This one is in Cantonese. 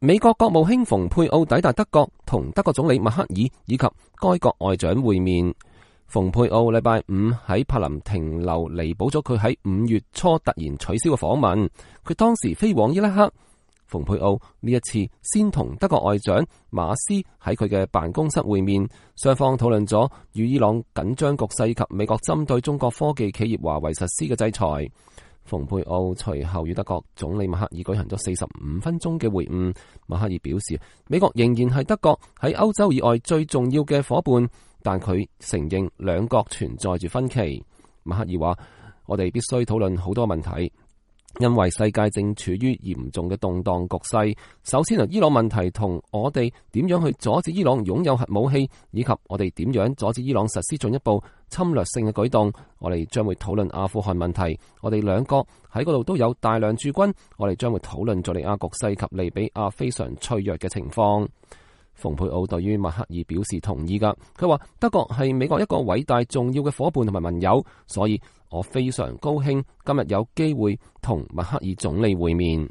美國國務卿蓬佩奧抵達德國，同德國總理默克爾以及該國外長會面。蓬佩奧禮拜五喺柏林停留，彌補咗佢喺5月初突然取消嘅訪問。佢當時飛往伊拉克。蓬佩奧呢一次先同德國外長馬斯喺佢嘅辦公室會面，雙方討論咗與伊朗緊張局勢及美國針對中國科技企業華為實施嘅制裁。蓬佩奧隨後與德國總理默克爾舉行咗45分鐘嘅會晤。默克爾表示，美國仍然係德國喺歐洲以外最重要嘅夥伴，但佢承認兩國存在住分歧。默克爾話：我哋必須討論好多問題，因為世界正處於嚴重嘅動盪局勢。首先係伊朗問題，同我哋點樣去阻止伊朗擁有核武器，以及我哋點樣阻止伊朗實施進一步侵略性嘅舉動。我哋將會討論阿富汗問題，我哋兩國喺嗰度都有大量駐軍。我哋將會討論敘利亞局勢及利比亞非常脆弱嘅情況。蓬佩奧對於默克爾表示同意㗎，佢話德國係美國一個偉大重要嘅夥伴同埋盟友，所以我非常高興今日有機會同默克爾總理會面。